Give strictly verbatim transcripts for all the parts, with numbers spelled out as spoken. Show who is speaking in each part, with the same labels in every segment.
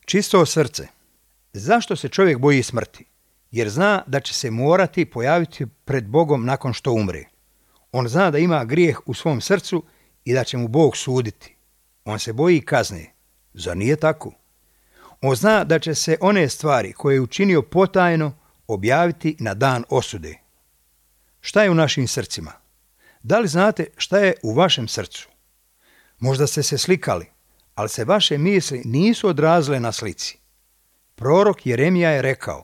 Speaker 1: Čisto srce. Zašto se čovjek boji smrti? Jer zna da će se morati pojaviti pred Bogom nakon što umre. On zna da ima grijeh u svom srcu i da će mu Bog suditi. On se boji kazne. Zar nije tako? On zna da će se one stvari koje je učinio potajno objaviti na dan osude. Šta je u našim srcima? Da li znate šta je u vašem srcu? Možda ste se slikali, ali se vaše misli nisu odrazile na slici. Prorok Jeremija je rekao: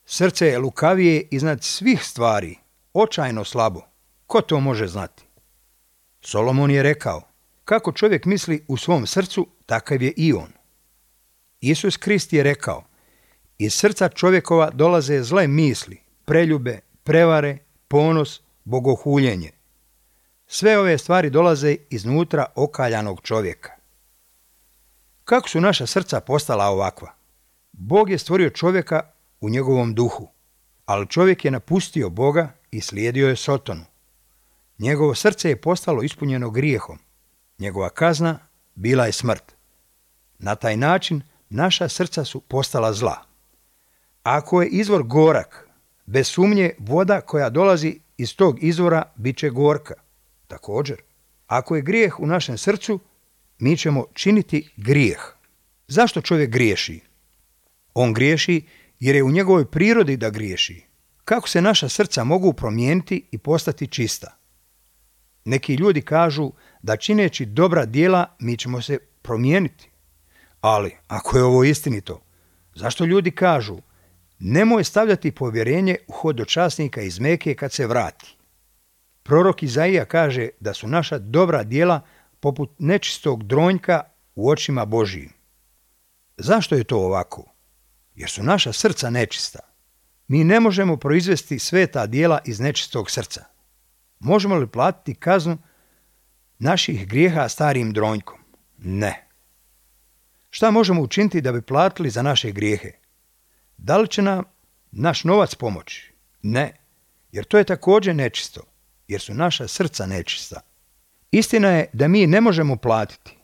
Speaker 1: srce je lukavije iznad svih stvari, očajno slabo. Ko to može znati? Solomon je rekao: kako čovjek misli u svom srcu, takav je i on. Isus Krist je rekao: iz srca čovjekova dolaze zle misli, preljube, prevare, ponos, bogohuljenje. Sve ove stvari dolaze iznutra okaljanog čovjeka. Kako su naša srca postala ovakva? Bog je stvorio čovjeka u njegovom duhu, ali čovjek je napustio Boga i slijedio je Sotonu. Njegovo srce je postalo ispunjeno grijehom. Njegova kazna bila je smrt. Na taj način naša srca su postala zla. Ako je izvor gorak, bez sumnje voda koja dolazi iz tog izvora bit će gorka. Također, ako je grijeh u našem srcu, mi ćemo činiti grijeh. Zašto čovjek griješi? On griješi jer je u njegovoj prirodi da griješi. Kako se naša srca mogu promijeniti i postati čista? Neki ljudi kažu da čineći dobra djela mi ćemo se promijeniti. Ali, ako je ovo istinito, zašto ljudi kažu: nemoj stavljati povjerenje u hodočasnika iz Meke kad se vrati? Prorok Izaija kaže da su naša dobra djela poput nečistog dronjka u očima Božijim. Zašto je to ovako? Jer su naša srca nečista. Mi ne možemo proizvesti sveta djela iz nečistog srca. Možemo li platiti kaznu naših grijeha starim dronjkom? Ne. Šta možemo učiniti da bi platili za naše grijehe? Da li će nam naš novac pomoći? Ne, jer to je također nečisto, jer su naša srca nečista. Istina je da mi ne možemo platiti.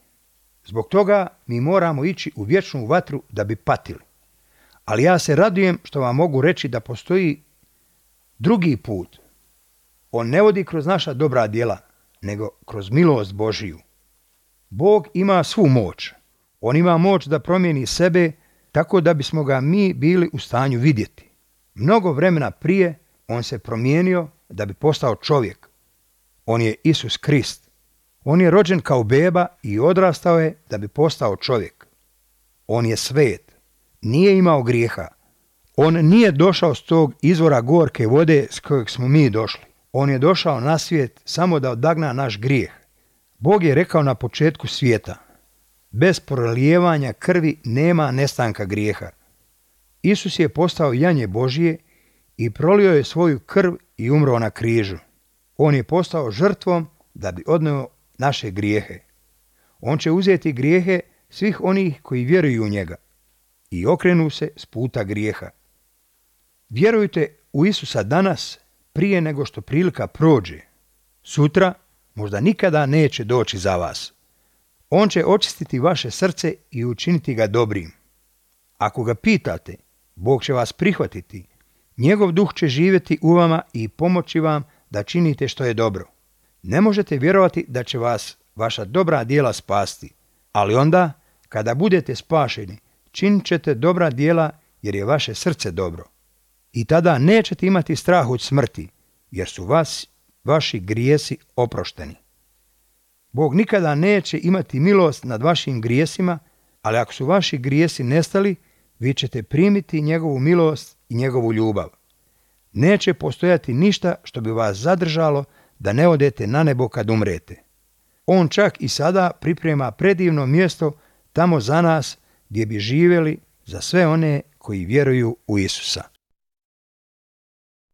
Speaker 1: Zbog toga mi moramo ići u vječnu vatru da bi patili. Ali ja se radujem što vam mogu reći da postoji drugi put. On ne vodi kroz naša dobra djela, nego kroz milost Božiju. Bog ima svu moć. On ima moć da promijeni sebe tako da bismo ga mi bili u stanju vidjeti. Mnogo vremena prije on se promijenio da bi postao čovjek. On je Isus Krist. On je rođen kao beba i odrastao je da bi postao čovjek. On je svet. Nije imao grijeha. On nije došao s tog izvora gorke vode s kojeg smo mi došli. On je došao na svijet samo da odagna naš grijeh. Bog je rekao na početku svijeta: bez prolijevanja krvi nema nestanka grijeha. Isus je postao janje Božije i prolio je svoju krv i umro na križu. On je postao žrtvom da bi odneo naše grijehe. On će uzeti grijehe svih onih koji vjeruju u njega i okrenu se s puta grijeha. Vjerujte u Isusa danas prije nego što prilika prođe. Sutra možda nikada neće doći za vas. On će očistiti vaše srce i učiniti ga dobrim. Ako ga pitate, Bog će vas prihvatiti. Njegov duh će živjeti u vama i pomoći vam da činite što je dobro. Ne možete vjerovati da će vas vaša dobra djela spasti, ali onda, kada budete spašeni, činit ćete dobra djela jer je vaše srce dobro. I tada nećete imati strah od smrti, jer su vas vaši grijesi oprošteni. Bog nikada neće imati milost nad vašim grijesima, ali ako su vaši grijesi nestali, vi ćete primiti njegovu milost i njegovu ljubav. Neće postojati ništa što bi vas zadržalo da ne odete na nebo kad umrete. On čak i sada priprema predivno mjesto tamo za nas gdje bi živjeli za sve one koji vjeruju u Isusa.